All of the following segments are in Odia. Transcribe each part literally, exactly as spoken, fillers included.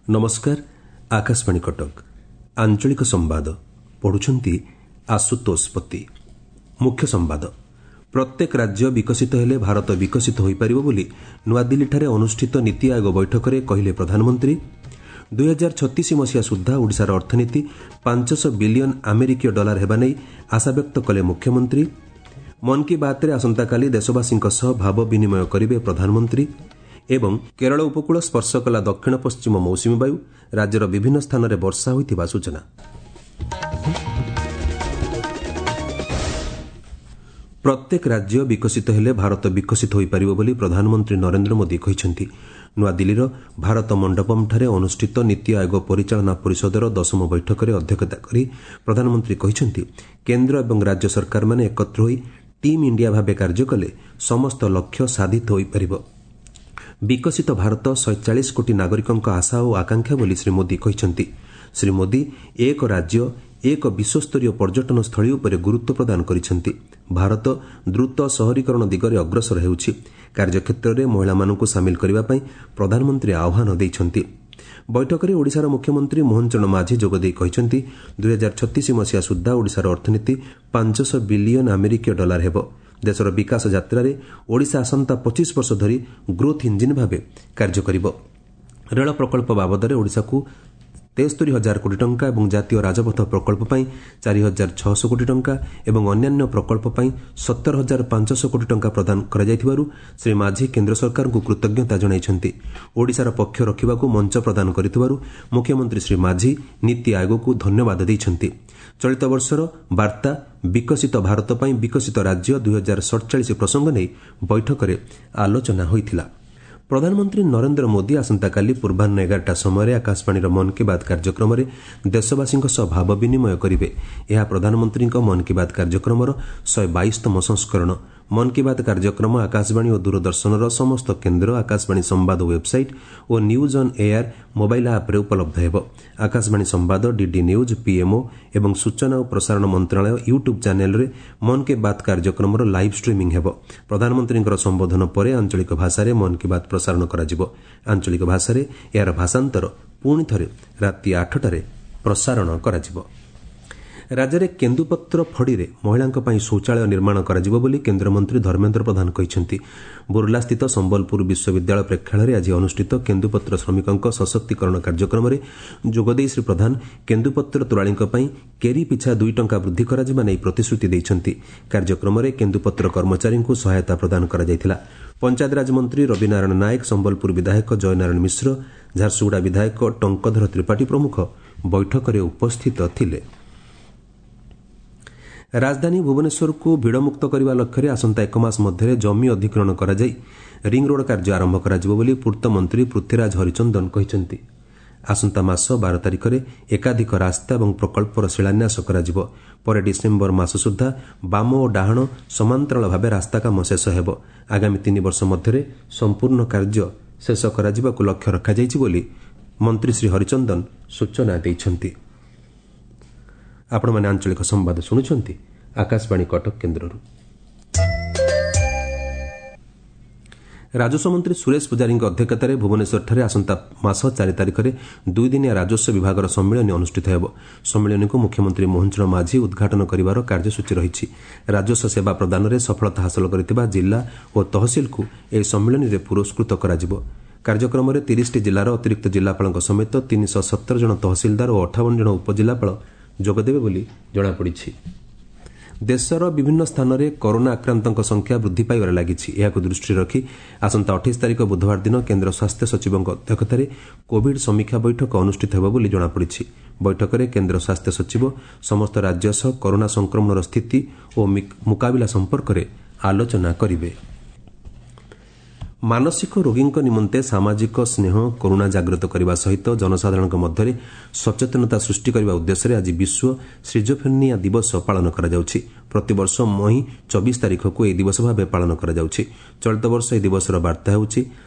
ନମସ୍କାର, ଆକାଶବାଣୀ କଟକ, ଆଞ୍ଚଳିକ ସମ୍ବାଦ ପଢୁଛନ୍ତି ଆଶୁତୋଷ ପତି। ମୁଖ୍ୟ ସମ୍ବାଦ। ପ୍ରତ୍ୟେକ ରାଜ୍ୟ ବିକଶିତ ହେଲେ ଭାରତ ବିକଶିତ ହୋଇପାରିବ ବୋଲି ନୂଆଦିଲ୍ଲୀଠାରେ ଅନୁଷ୍ଠିତ ନୀତି ଆୟୋଗ ବୈଠକରେ କହିଲେ ପ୍ରଧାନମନ୍ତ୍ରୀ। ଦୁଇହଜାର ଛତିଶ ମସିହା ସୁଦ୍ଧା ଓଡ଼ିଶାର ଅର୍ଥନୀତି ପାଞ୍ଚଶହ ବିଲିୟନ ଆମେରିକୀୟ ଡଲାର ହେବା ନେଇ ଆଶାବ୍ୟକ୍ତ କଲେ ମୁଖ୍ୟମନ୍ତ୍ରୀ। ମନ୍ କି ବାତ୍ରେ ଆସନ୍ତାକାଲି ଦେଶବାସୀଙ୍କ ସହ ଭାବ ବିନିମୟ କରିବେ ପ୍ରଧାନମନ୍ତ୍ରୀ। ଏବଂ କେରଳ ଉପକୂଳ ସ୍ପର୍ଶ କଲା ଦକ୍ଷିଣ ପଶ୍ଚିମ ମୌସୁମୀ ବାୟୁ, ରାଜ୍ୟର ବିଭିନ୍ନ ସ୍ଥାନରେ ବର୍ଷା ହୋଇଥିବା ସୂଚନା। ପ୍ରତ୍ୟେକ ରାଜ୍ୟ ବିକଶିତ ହେଲେ ଭାରତ ବିକଶିତ ହୋଇପାରିବ ବୋଲି ପ୍ରଧାନମନ୍ତ୍ରୀ ନରେନ୍ଦ୍ର ମୋଦି କହିଛନ୍ତି। ନୂଆଦିଲ୍ଲୀର ଭାରତ ମଣ୍ଡପମ୍ଠାରେ ଅନୁଷ୍ଠିତ ନୀତି ଆୟୋଗ ପରିଚାଳନା ପରିଷଦର ଦଶମ ବୈଠକରେ ଅଧ୍ୟକ୍ଷତା କରି ପ୍ରଧାନମନ୍ତ୍ରୀ କହିଛନ୍ତି, କେନ୍ଦ୍ର ଏବଂ ରାଜ୍ୟ ସରକାରମାନେ ଏକତ୍ର ହୋଇ ଟିମ୍ ଇଣ୍ଡିଆ ଭାବେ କାର୍ଯ୍ୟ କଲେ ସମସ୍ତ ଲକ୍ଷ୍ୟ ସାଧିତ ହୋଇପାରିବ। ବିକଶିତ ଭାରତ ଶହେ ଚାଳିଶ କୋଟି ନାଗରିକଙ୍କ ଆଶା ଓ ଆକାଂକ୍ଷା ବୋଲି ଶ୍ରୀ ମୋଦି କହିଛନ୍ତି। ଶ୍ରୀ ମୋଦି ଏକ ରାଜ୍ୟ ଏକ ବିଶ୍ୱସ୍ତରୀୟ ପର୍ଯ୍ୟଟନ ସ୍ଥଳୀ ଉପରେ ଗୁରୁତ୍ୱ ପ୍ରଦାନ କରିଛନ୍ତି। ଭାରତ ଦ୍ରୁତ ସହରୀକରଣ ଦିଗରେ ଅଗ୍ରସର ହେଉଛି। କାର୍ଯ୍ୟକ୍ଷେତ୍ରରେ ମହିଳାମାନଙ୍କୁ ସାମିଲ କରିବା ପାଇଁ ପ୍ରଧାନମନ୍ତ୍ରୀ ଆହ୍ୱାନ ଦେଇଛନ୍ତି। ବୈଠକରେ ଓଡ଼ିଶାର ମୁଖ୍ୟମନ୍ତ୍ରୀ ମୋହନ ଚରଣ ମାଝୀ ଯୋଗଦେଇ କହିଛନ୍ତି, ଦୁଇହଜାର ଛତିଶ ମସିହା ସୁଦ୍ଧା ଓଡ଼ିଶାର ଅର୍ଥନୀତି ପାଞ୍ଚଶହ ବିଲିୟନ ଆମେରିକୀୟ ଡଲାର ହେବ। ଦେଶର ବିକାଶ ଯାତ୍ରାରେ ଓଡ଼ିଶା ଆସନ୍ତା ପଚିଶ ବର୍ଷ ଧରି ଗ୍ରୋଥ୍ ଇଞ୍ଜିନ୍ ଭାବେ କାର୍ଯ୍ୟ କରିବ। ରେଳ ପ୍ରକଳ୍ପ ବାବଦରେ ଓଡ଼ିଶାକୁ ତେସ୍ତରି ହଜାର କୋଟି ଟଙ୍କା ଏବଂ ଜାତୀୟ ରାଜପଥ ପ୍ରକଳ୍ପ ପାଇଁ ଚାରି ହଜାର ଛଅଶହ କୋଟି ଟଙ୍କା ଏବଂ ଅନ୍ୟାନ୍ୟ ପ୍ରକଳ୍ପ ପାଇଁ ସତର ହଜାର ପାଞ୍ଚଶହ କୋଟି ଟଙ୍କା ପ୍ରଦାନ କରାଯାଇଥିବାରୁ ଶ୍ରୀ ମାଝୀ କେନ୍ଦ୍ର ସରକାରଙ୍କୁ କୃତଜ୍ଞତା ଜଣାଇଛନ୍ତି। ଓଡ଼ିଶାର ପକ୍ଷ ରଖିବାକୁ ମଞ୍ଚ ପ୍ରଦାନ କରିଥିବାରୁ ମୁଖ୍ୟମନ୍ତ୍ରୀ ଶ୍ରୀ ମାଝୀ ନୀତି ଆୟୋଗକୁ ଧନ୍ୟବାଦ ଦେଇଛନ୍ତି। ଚଳିତ ବର୍ଷର ବାର୍ତ୍ତା ବିକଶିତ ଭାରତ ପାଇଁ ବିକଶିତ ରାଜ୍ୟ ଦୁଇହଜାର ସଡ଼ଚାଳିଶ ପ୍ରସଙ୍ଗ ନେଇ ବୈଠକରେ ଆଲୋଚନା ହୋଇଥିଲା। ପ୍ରଧାନମନ୍ତ୍ରୀ ନରେନ୍ଦ୍ର ମୋଦି ଆସନ୍ତାକାଲି ପୂର୍ବାହ୍ନ ଏଗାରଟା ସମୟରେ ଆକାଶବାଣୀର ମନ୍ କି ବାତ୍ କାର୍ଯ୍ୟକ୍ରମରେ ଦେଶବାସୀଙ୍କ ସହ ଭାବ ବିନିମୟ କରିବେ। ଏହା ପ୍ରଧାନମନ୍ତ୍ରୀଙ୍କ ମନ୍ କି ବାତ୍ କାର୍ଯ୍ୟକ୍ରମର ଶହେ ବାଇଶତମ ସଂସ୍କରଣ। ମନ୍ କି ବାତ୍ କାର୍ଯ୍ୟକ୍ରମ ଆକାଶବାଣୀ ଓ ଦୂରଦର୍ଶନର ସମସ୍ତ କେନ୍ଦ୍ର, ଆକାଶବାଣୀ ସମ୍ବାଦ website O news on air mobile ଆପ୍ରେ ଉପଲବ୍ଧ ହେବ। ଆକାଶବାଣୀ ସମ୍ବାଦ, ଡିଡି ନ୍ୟୁଜ୍, ପିଏମ୍ଓ ଏବଂ ସୂଚନା ଓ ପ୍ରସାରଣ ମନ୍ତ୍ରଣାଳୟ ୟୁଟ୍ୟୁବ୍ ଚ୍ୟାନେଲ୍ରେ ମନ୍ କି ବାତ୍ କାର୍ଯ୍ୟକ୍ରମର ଲାଇଭ୍ ଷ୍ଟ୍ରିମିଂ ହେବ। ପ୍ରଧାନମନ୍ତ୍ରୀଙ୍କର ସମ୍ବୋଧନ ପରେ ଆଞ୍ଚଳିକ ଭାଷାରେ ମନ୍ କି ବାତ୍ ପ୍ରସାରଣ କରାଯିବ। ଆଞ୍ଚଳିକ ଭାଷାରେ ଏହାର ଭାଷାନ୍ତର ପୁଣି ଥରେ ରାତି ଆଠଟାରେ ପ୍ରସାରଣ କରାଯିବ। ରାଜ୍ୟରେ କେନ୍ଦୁପତ୍ର ଫଡ଼ିରେ ମହିଳାଙ୍କ ପାଇଁ ଶୌଚାଳୟ ନିର୍ମାଣ କରାଯିବ ବୋଲି କେନ୍ଦ୍ରମନ୍ତ୍ରୀ ଧର୍ମେନ୍ଦ୍ର ପ୍ରଧାନ କହିଛନ୍ତି। ବୁର୍ଲାସ୍ଥିତ ସମ୍ବଲପୁର ବିଶ୍ୱବିଦ୍ୟାଳୟ ପ୍ରେକ୍ଷାଳୟରେ ଆଜି ଅନୁଷ୍ଠିତ କେନ୍ଦୁପତ୍ର ଶ୍ରମିକଙ୍କ ସଶକ୍ତିକରଣ କାର୍ଯ୍ୟକ୍ରମରେ ଯୋଗଦେଇ ଶ୍ରୀ ପ୍ରଧାନ କେନ୍ଦୁପତ୍ର ତୋଳାଳିଙ୍କ ପାଇଁ କେରି ପିଛା ଦୁଇ ଟଙ୍କା ବୃଦ୍ଧି କରାଯିବା ନେଇ ପ୍ରତିଶ୍ରୁତି ଦେଇଛନ୍ତି। କାର୍ଯ୍ୟକ୍ରମରେ କେନ୍ଦୁପତ୍ର କର୍ମଚାରୀଙ୍କୁ ସହାୟତା ପ୍ରଦାନ କରାଯାଇଥିଲା। ପଞ୍ଚାୟତରାଜ ମନ୍ତ୍ରୀ ରବିନାରାୟଣ ନାୟକ, ସମ୍ବଲପୁର ବିଧାୟକ ଜୟନାରାୟଣ ମିଶ୍ର, ଝାରସୁଗୁଡ଼ା ବିଧାୟକ ଟଙ୍କଧର ତ୍ରିପାଠୀ ପ୍ରମୁଖ ବୈଠକରେ ଉପସ୍ଥିତ ଥିଲେ। ରାଜଧାନୀ ଭୁବନେଶ୍ୱରକୁ ଭିଡ଼ମୁକ୍ତ କରିବା ଲକ୍ଷ୍ୟରେ ଆସନ୍ତା ଏକ ମାସ ମଧ୍ୟରେ ଜମି ଅଧିଗ୍ରହଣ କରାଯାଇ ରିଙ୍ଗରୋଡ୍ କାର୍ଯ୍ୟ ଆରମ୍ଭ କରାଯିବ ବୋଲି ପୂର୍ତ୍ତମନ୍ତ୍ରୀ ପୃଥ୍ୱୀରାଜ ହରିଚନ୍ଦନ କହିଛନ୍ତି। ଆସନ୍ତା ମାସ ବାର ତାରିଖରେ ଏକାଧିକ ରାସ୍ତା ଏବଂ ପ୍ରକଳ୍ପର ଶିଳାନ୍ୟାସ କରାଯିବ। ପରେ ଡିସେମ୍ବର ମାସ ସୁଦ୍ଧା ବାମ ଓ ଡାହାଣ ସମାନ୍ତରାଳ ଭାବେ ରାସ୍ତା କାମ ଶେଷ ହେବ। ଆଗାମୀ ତିନି ବର୍ଷ ମଧ୍ୟରେ ସମ୍ପୂର୍ଣ୍ଣ କାର୍ଯ୍ୟ ଶେଷ କରାଯିବାକୁ ଲକ୍ଷ୍ୟ ରଖାଯାଇଛି ବୋଲି ମନ୍ତ୍ରୀ ଶ୍ରୀ ହରିଚନ୍ଦନ ସୂଚନା ଦେଇଛନ୍ତି। ଆପଣମାନେ ଆଞ୍ଚଳିକ ସମ୍ବାଦ ଶୁଣୁଛନ୍ତି ଆକାଶବାଣୀ କଟକ କେନ୍ଦ୍ରରୁ। ରାଜସ୍ୱ ମନ୍ତ୍ରୀ ସୁରେଶ ପୂଜାରୀଙ୍କ ଅଧ୍ୟକ୍ଷତାରେ ଭୁବନେଶ୍ୱରଠାରେ ଆସନ୍ତା ମାସ ଚାରି ତାରିଖରେ ଦୁଇଦିନିଆ ରାଜସ୍ୱ ବିଭାଗର ସମ୍ମିଳନୀ ଅନୁଷ୍ଠିତ ହେବ। ସମ୍ମିଳନୀକୁ ମୁଖ୍ୟମନ୍ତ୍ରୀ ମୋହନ ଚରଣ ମାଝୀ ଉଦ୍ଘାଟନ କରିବାର କାର୍ଯ୍ୟସୂଚୀ ରହିଛି। ରାଜସ୍ୱ ସେବା ପ୍ରଦାନରେ ସଫଳତା ହାସଲ କରିଥିବା ଜିଲ୍ଲା ଓ ତହସିଲକୁ ଏହି ସମ୍ମିଳନୀରେ ପୁରସ୍କୃତ କରାଯିବ। କାର୍ଯ୍ୟକ୍ରମରେ ତିରିଶଟି ଜିଲ୍ଲାର ଅତିରିକ୍ତ ଜିଲ୍ଲାପାଳଙ୍କ ସମେତ ତିନିଶହ ସତର ଜଣ ତହସିଲଦାର ଓ ଅଠାବନ ଜଣ ଉପଜିଲ୍ଲାପାଳ ଯୋଗଦେବେ ବୋଲି ଜଣାପଡ଼ିଛି। ଦେଶର ବିଭିନ୍ନ ସ୍ଥାନରେ କରୋନା ଆକ୍ରାନ୍ତଙ୍କ ସଂଖ୍ୟା ବୃଦ୍ଧି ପାଇବାରେ ଲାଗିଛି। ଏହାକୁ ଦୃଷ୍ଟିରେ ରଖି ଆସନ୍ତା ଅଠେଇଶ ତାରିଖ ବୁଧବାର ଦିନ କେନ୍ଦ୍ର ସ୍ୱାସ୍ଥ୍ୟ ସଚିବଙ୍କ ଅଧ୍ୟକ୍ଷତାରେ କୋଭିଡ୍ ସମୀକ୍ଷା ବୈଠକ ଅନୁଷ୍ଠିତ ହେବ ବୋଲି ଜଣାପଡ଼ିଛି। ବୈଠକରେ କେନ୍ଦ୍ର ସ୍ୱାସ୍ଥ୍ୟ ସଚିବ ସମସ୍ତ ରାଜ୍ୟ ସହ କରୋନା ସଂକ୍ରମଣର ସ୍ଥିତି ଓ ମୁକାବିଲା ସମ୍ପର୍କରେ ଆଲୋଚନା କରିବେ। ମାନସିକ ରୋଗୀଙ୍କ ନିମନ୍ତେ ସାମାଜିକ ସ୍ନେହ, କରୁଣା ଜାଗ୍ରତ କରିବା ସହିତ ଜନସାଧାରଣଙ୍କ ମଧ୍ୟରେ ସଚେତନତା ସୃଷ୍ଟି କରିବା ଉଦ୍ଦେଶ୍ୟରେ ଆଜି ବିଶ୍ୱ ସିଜୋଫ୍ରେନିଆ ଦିବସ ପାଳନ କରାଯାଉଛି। ପ୍ରତିବର୍ଷ ମଇ ଚବିଶ ତାରିଖକୁ ଏହି ଦିବସ ଭାବେ ପାଳନ କରାଯାଉଛି। ଚଳିତ ବର୍ଷ ଏହି ଦିବସର ବାର୍ତ୍ତା ହେଉଛି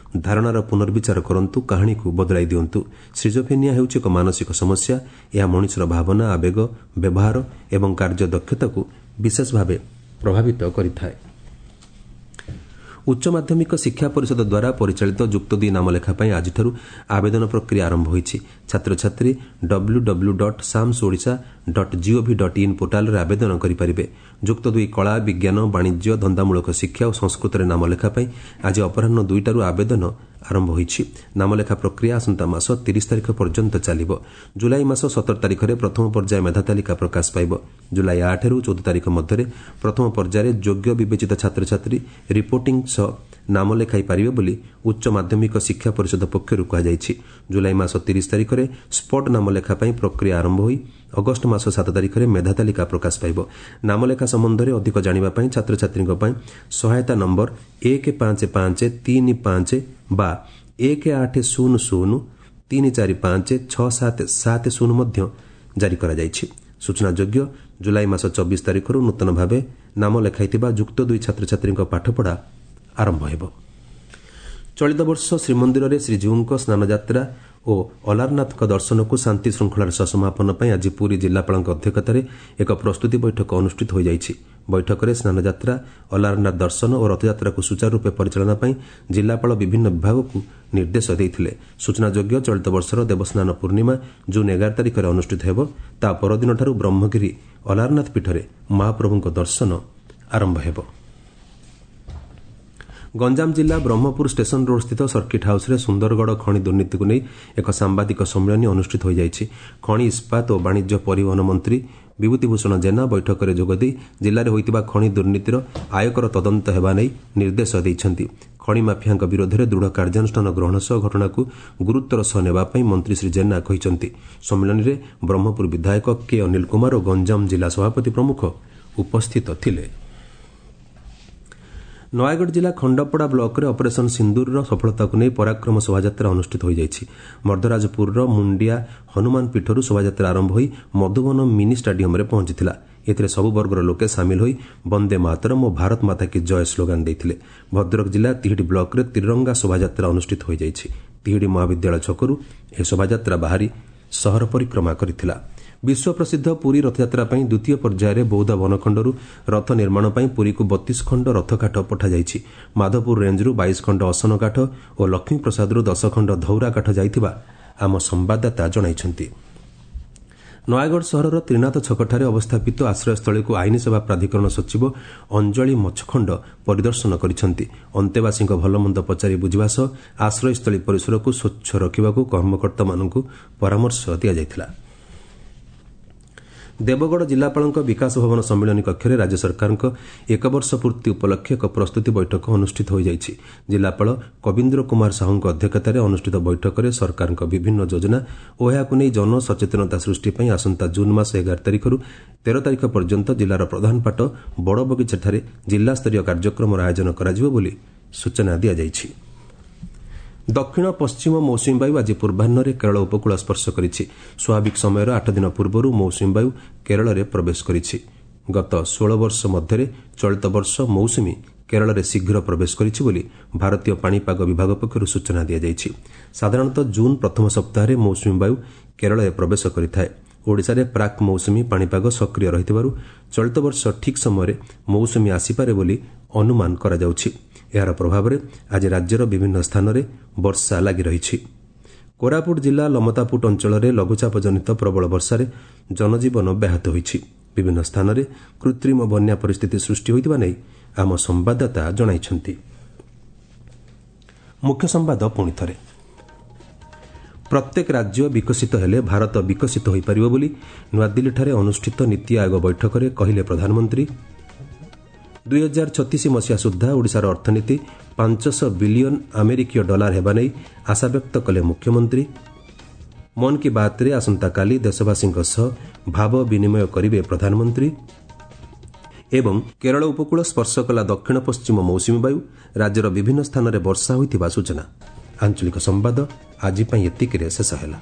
ଧାରଣାର ପୁନର୍ବିଚାର କରନ୍ତୁ, କାହାଣୀକୁ ବଦଳାଇ ଦିଅନ୍ତୁ। ସିଜୋଫ୍ରେନିଆ ହେଉଛି ଏକ ମାନସିକ ସମସ୍ୟା। ଏହା ମଣିଷର ଭାବନା, ଆବେଗ, ବ୍ୟବହାର ଏବଂ କାର୍ଯ୍ୟଦକ୍ଷତାକୁ ବିଶେଷ ଭାବେ ପ୍ରଭାବିତ କରିଥାଏ। ଉଚ୍ଚ ମାଧ୍ୟମିକ ଶିକ୍ଷା ପରିଷଦ ଦ୍ୱାରା ପରିଚାଳିତ ଯୁକ୍ତ ଦୁଇ ନାମଲେଖା ପାଇଁ ଆଜିଠାରୁ ଆବେଦନ ପ୍ରକ୍ରିୟା ଆରମ୍ଭ ହୋଇଛି। ଛାତ୍ରଛାତ୍ରୀ W W dot SAMS Odisha dot gov dot in ପୋର୍ଟାଲରେ ଆବେଦନ କରିପାରିବେ। ଯୁକ୍ତ ଦୁଇ କଳା, ବିଜ୍ଞାନ, ବାଣିଜ୍ୟ, ଧନ୍ଦାମୂଳକ ଶିକ୍ଷା ଓ ସଂସ୍କୃତରେ ନାମଲେଖା ପାଇଁ ଆଜି ଅପରାହ୍ନ ଦୁଇଟାରୁ ଆବେଦନ ଆରମ୍ଭ ହୋଇଛି। ନାମଲେଖା ପ୍ରକ୍ରିୟା ଆସନ୍ତା ମାସ ତିରିଶ ତାରିଖ ପର୍ଯ୍ୟନ୍ତ ଚାଲିବ। ଜୁଲାଇ ମାସ ସତର ତାରିଖରେ ପ୍ରଥମ ପର୍ଯ୍ୟାୟ ମେଧା ତାଲିକା ପ୍ରକାଶ ପାଇବ। ଜୁଲାଇ ଆଠରୁ ଚଉଦ ତାରିଖ ମଧ୍ୟରେ ପ୍ରଥମ ପର୍ଯ୍ୟାୟରେ ଯୋଗ୍ୟ ବିବେଚିତ ଛାତ୍ରଛାତ୍ରୀ ରିପୋର୍ଟିଂ ସହ ନାମ ଲେଖାଇ ପାରିବେ ବୋଲି ଉଚ୍ଚ ମାଧ୍ୟମିକ ଶିକ୍ଷା ପରିଷଦ ପକ୍ଷରୁ କୁହାଯାଇଛି। ଜୁଲାଇ ମାସ ତିରିଶ ତାରିଖରେ ସ୍ପଟ୍ ନାମଲେଖା ପାଇଁ ପ୍ରକ୍ରିୟା ଆରମ୍ଭ ହୋଇ ଅଗଷ୍ଟ ମାସ ସାତ ତାରିଖରେ ମେଧା ତାଲିକା ପ୍ରକାଶ ପାଇବ। ନାମଲେଖା ସମ୍ବନ୍ଧରେ ଅଧିକ ଜାଣିବା ପାଇଁ ଛାତ୍ରଛାତ୍ରୀଙ୍କ ପାଇଁ ସହାୟତା ନମ୍ବର ଏକ ପାଞ୍ଚ ପାଞ୍ଚ ତିନି ପାଞ୍ଚ ବା ଏକ ଆଠ ଶୂନ ଶୂନ ତିନି ଚାରି ପାଞ୍ଚ ଛଅ ସାତ ସାତ ଶୂନ ମଧ୍ୟ ଜାରି କରାଯାଇଛି। ସୂଚନାଯୋଗ୍ୟ, ଜୁଲାଇ ମାସ ଚବିଶ ତାରିଖରୁ ନୂତନ ଭାବେ ନାମ ଲେଖାଇଥିବା ଯୁକ୍ତ ଦୁଇ ଛାତ୍ରଛାତ୍ରୀଙ୍କ ପାଠପଢ଼ା ଆରମ୍ଭ ହେବ। ଚଳିତ ବର୍ଷ ଶ୍ରୀମନ୍ଦିରରେ ଶ୍ରୀଜୀଉଙ୍କ ସ୍ନାନଯାତ୍ରା ଓ ଅଲାରନାଥଙ୍କ ଦର୍ଶନକୁ ଶାନ୍ତି ଶୃଙ୍ଖଳାର ସହ ସମାପନ ପାଇଁ ଆଜି ପୁରୀ ଜିଲ୍ଲାପାଳଙ୍କ ଅଧ୍ୟକ୍ଷତାରେ ଏକ ପ୍ରସ୍ତୁତି ବୈଠକ ଅନୁଷ୍ଠିତ ହୋଇଯାଇଛି। ବୈଠକରେ ସ୍ନାନଯାତ୍ରା, ଅଲାରନାଥ ଦର୍ଶନ ଓ ରଥଯାତ୍ରାକୁ ସୁଚାରୁରୂପେ ପରିଚାଳନା ପାଇଁ ଜିଲ୍ଲାପାଳ ବିଭିନ୍ନ ବିଭାଗକୁ ନିର୍ଦ୍ଦେଶ ଦେଇଥିଲେ। ସୂଚନାଯୋଗ୍ୟ, ଚଳିତ ବର୍ଷର ଦେବସ୍ନାନ ପୂର୍ଣ୍ଣିମା ଜୁନ୍ ଏଗାର ତାରିଖରେ ଅନୁଷ୍ଠିତ ହେବ। ତା ପରଦିନଠାରୁ ବ୍ରହ୍ମଗିରି ଅଲାରନାଥ ପୀଠରେ ମହାପ୍ରଭୁଙ୍କ ଦର୍ଶନ ଆରମ୍ଭ ହେବ। ଗଞ୍ଜାମ ଜିଲ୍ଲା ବ୍ରହ୍ମପୁର ଷ୍ଟେସନ ରୋଡ୍ସ୍ଥିତ ସର୍କିଟ୍ ହାଉସ୍ରେ ସୁନ୍ଦରଗଡ଼ ଖଣି ଦୁର୍ନୀତିକୁ ନେଇ ଏକ ସାମ୍ବାଦିକ ସମ୍ମିଳନୀ ଅନୁଷ୍ଠିତ ହୋଇଯାଇଛି। ଖଣି, ଇସ୍ପାତ ଓ ବାଣିଜ୍ୟ ପରିବହନ ମନ୍ତ୍ରୀ ବିଭୂତିଭୂଷଣ ଜେନା ବୈଠକରେ ଯୋଗଦେଇ ଜିଲ୍ଲାରେ ହୋଇଥିବା ଖଣି ଦୁର୍ନୀତିର ଆୟକର ତଦନ୍ତ ହେବା ନେଇ ନିର୍ଦ୍ଦେଶ ଦେଇଛନ୍ତି। ଖଣି ମାଫିଆଙ୍କ ବିରୋଧରେ ଦୃଢ଼ କାର୍ଯ୍ୟାନୁଷ୍ଠାନ ଗ୍ରହଣ ସହ ଘଟଣାକୁ ଗୁରୁତ୍ୱର ସହ ନେବା ପାଇଁ ମନ୍ତ୍ରୀ ଶ୍ରୀ ଜେନା କହିଛନ୍ତି। ସମ୍ମିଳନୀରେ ବ୍ରହ୍ମପୁର ବିଧାୟକ କେ ଅନିଲ କୁମାର ଓ ଗଞ୍ଜାମ ଜିଲ୍ଲା ସଭାପତି ପ୍ରମୁଖ ଉପସ୍ଥିତ ଥିଲେ। ନୟାଗଡ଼ ଜିଲ୍ଲା ଖଣ୍ଡପଡ଼ା ବ୍ଲକରେ ଅପରେସନ୍ ସିନ୍ଦୁରର ସଫଳତାକୁ ନେଇ ପରାକ୍ରମ ଶୋଭାଯାତ୍ରା ଅନୁଷ୍ଠିତ ହୋଇଯାଇଛି। ମର୍ଦ୍ଦରାଜପୁରର ମୁଣ୍ଡିଆ ହନୁମାନ ପୀଠରୁ ଶୋଭାଯାତ୍ରା ଆରମ୍ଭ ହୋଇ ମଧୁବନ ମିନି ଷ୍ଟାଡିୟମରେ ପହଞ୍ଚିଥିଲା। ଏଥିରେ ସବୁ ବର୍ଗର ଲୋକେ ସାମିଲ ହୋଇ ବନ୍ଦେ ମାତରମ୍ ଓ ଭାରତ ମାତା କି ଜୟ ସ୍ଲୋଗାନ ଦେଇଥିଲେ। ଭଦ୍ରକ ଜିଲ୍ଲା ତିହିଡ଼ି ବ୍ଲକରେ ତ୍ରିରଙ୍ଗା ଶୋଭାଯାତ୍ରା ଅନୁଷ୍ଠିତ ହୋଇଯାଇଛି। ତିହିଡ଼ି ମହାବିଦ୍ୟାଳୟ ଛକରୁ ଏହି ଶୋଭାଯାତ୍ରା ବାହାରି ସହର ପରିକ୍ରମା କରିଥିଲା। ବିଶ୍ୱପ୍ରସିଦ୍ଧ ପୁରୀ ରଥଯାତ୍ରା ପାଇଁ ଦ୍ୱିତୀୟ ପର୍ଯ୍ୟାୟରେ ବୌଦ୍ଧ ବନଖଣ୍ଡରୁ ରଥ ନିର୍ମାଣ ପାଇଁ ପୁରୀକୁ ବତିଶ ଖଣ୍ଡ ରଥକାଠ ପଠାଯାଇଛି। ମାଧପୁର ରେଞ୍ଜରୁ ବାଇଶ ଖଣ୍ଡ ଅସନ କାଠ ଓ ଲକ୍ଷ୍ମୀପ୍ରସାଦରୁ ଦଶ ଖଣ୍ଡ ଧଉରା କାଠ ଯାଇଥିବା ଆମ ସମ୍ବାଦଦାତା ଜଣାଇଛନ୍ତି। ନୟାଗଡ଼ ସହରର ତ୍ରିନାଥ ଛକଠାରେ ଅବସ୍ଥାପିତ ଆଶ୍ରୟସ୍ଥଳୀକୁ ଆଇନ ସେବା ପ୍ରାଧିକରଣ ସଚିବ ଅଞ୍ଜଳି ମଛଖଣ୍ଡ ପରିଦର୍ଶନ କରିଛନ୍ତି। ଅନ୍ତେବାସୀଙ୍କ ଭଲମନ୍ଦ ପଚାରି ବୁଝିବା ସହ ଆଶ୍ରୟସ୍ଥଳୀ ପରିସରକୁ ସ୍ୱଚ୍ଛ ରଖିବାକୁ କର୍ମକର୍ତ୍ତାମାନଙ୍କୁ ପରାମର୍ଶ ଦିଆଯାଇଥିଲା। ଦେବଗଡ଼ ଜିଲ୍ଲାପାଳଙ୍କ ବିକାଶ ଭବନ ସମ୍ମିଳନୀ କକ୍ଷରେ ରାଜ୍ୟ ସରକାରଙ୍କ ଏକବର୍ଷ ପୂର୍ତ୍ତି ଉପଲକ୍ଷେ ଏକ ପ୍ରସ୍ତୁତି ବୈଠକ ଅନୁଷ୍ଠିତ ହୋଇଯାଇଛି। ଜିଲ୍ଲାପାଳ କବୀନ୍ଦ୍ର କୁମାର ସାହୁଙ୍କ ଅଧ୍ୟକ୍ଷତାରେ ଅନୁଷ୍ଠିତ ବୈଠକରେ ସରକାରଙ୍କ ବିଭିନ୍ନ ଯୋଜନା ଓ ଏହାକୁ ନେଇ ଜନସଚେତନତା ସୃଷ୍ଟି ପାଇଁ ଆସନ୍ତା ଜୁନ୍ ମାସ ଏଗାର ତାରିଖରୁ ତେର ତାରିଖ ପର୍ଯ୍ୟନ୍ତ ଜିଲ୍ଲାର ପ୍ରଧାନପାଟ ବଡ଼ବଗିଚାଠାରେ ଜିଲ୍ଲାସ୍ତରୀୟ କାର୍ଯ୍ୟକ୍ରମର ଆୟୋଜନ କରାଯିବ ବୋଲି ସୂଚନା ଦିଆଯାଇଛି। ଦକ୍ଷିଣ ପଶ୍ଚିମ ମୌସୁମୀ ବାୟୁ ଆଜି ପୂର୍ବାହ୍ନରେ କେରଳ ଉପକୂଳ ସ୍ପର୍ଶ କରିଛି। ସ୍ୱାଭାବିକ ସମୟର ଆଠ ଦିନ ପୂର୍ବରୁ ମୌସୁମୀ ବାୟୁ କେରଳରେ ପ୍ରବେଶ କରିଛି। ଗତ ଷୋହଳ ବର୍ଷ ମଧ୍ୟରେ ଚଳିତ ବର୍ଷ ମୌସୁମୀ କେରଳରେ ଶୀଘ୍ର ପ୍ରବେଶ କରିଛି ବୋଲି ଭାରତୀୟ ପାଣିପାଗ ବିଭାଗ ପକ୍ଷରୁ ସୂଚନା ଦିଆଯାଇଛି। ସାଧାରଣତଃ ଜୁନ୍ ପ୍ରଥମ ସପ୍ତାହରେ ମୌସୁମୀ ବାୟୁ କେରଳରେ ପ୍ରବେଶ କରିଥାଏ। ଓଡ଼ିଶାରେ ପ୍ରାକ୍ ମୌସୁମୀ ପାଣିପାଗ ସକ୍ରିୟ ରହିଥିବାରୁ ଚଳିତ ବର୍ଷ ଠିକ୍ ସମୟରେ ମୌସୁମୀ ଆସିପାରେ ବୋଲି ଅନୁମାନ କରାଯାଉଛି। ଏହାର ପ୍ରଭାବରେ ଆଜି ରାଜ୍ୟର ବିଭିନ୍ନ ସ୍ଥାନରେ ବର୍ଷା ଲାଗି ରହିଛି। କୋରାପୁଟ ଜିଲ୍ଲା ଲମତାପୁଟ ଅଞ୍ଚଳରେ ଲଘୁଚାପ ଜନିତ ପ୍ରବଳ ବର୍ଷାରେ ଜନଜୀବନ ବ୍ୟାହତ ହୋଇଛି। ବିଭିନ୍ନ ସ୍ଥାନରେ କୃତ୍ରିମ ବନ୍ୟା ପରିସ୍ଥିତି ସୃଷ୍ଟି ହୋଇଥିବା ନେଇ ଆମ ସମ୍ବାଦଦାତା ଜଣାଇଛନ୍ତି। ମୁଖ୍ୟ ସମ୍ବାଦ ପୁଣି ଥରେ। ପ୍ରତ୍ୟେକ ରାଜ୍ୟ ବିକଶିତ ହେଲେ ଭାରତ ବିକଶିତ ହୋଇପାରିବ ବୋଲି ନୂଆଦିଲ୍ଲୀଠାରେ ଅନୁଷ୍ଠିତ ନୀତି ଆୟୋଗ ବୈଠକରେ କହିଲେ ପ୍ରଧାନମନ୍ତ୍ରୀ। ଦୁଇ ହଜାର ଛତିଶ ମସିହା ସୁଦ୍ଧା ଓଡ଼ିଶାର ଅର୍ଥନୀତି ପାଞ୍ଚଶହ ବିଲିୟନ ଆମେରିକୀୟ ଡଲାର ହେବା ନେଇ ଆଶାବ୍ୟକ୍ତ କଲେ ମୁଖ୍ୟମନ୍ତ୍ରୀ। ମନ୍ କି ବାତ୍ରେ ଆସନ୍ତାକାଲି ଦେଶବାସୀଙ୍କ ସହ ଭାବ ବିନିମୟ କରିବେ ପ୍ରଧାନମନ୍ତ୍ରୀ। ଏବଂ କେରଳ ଉପକୂଳ ସ୍ପର୍ଶ କଲା ଦକ୍ଷିଣ ପଶ୍ଚିମ ମୌସୁମୀ ବାୟୁ, ରାଜ୍ୟର ବିଭିନ୍ନ ସ୍ଥାନରେ ବର୍ଷା ହୋଇଥିବା ସୂଚନା। ଆଞ୍ଚଳିକ ସମ୍ବାଦ ଆଜି ପାଇଁ ଏତିକିରେ ଶେଷ ହେଲା।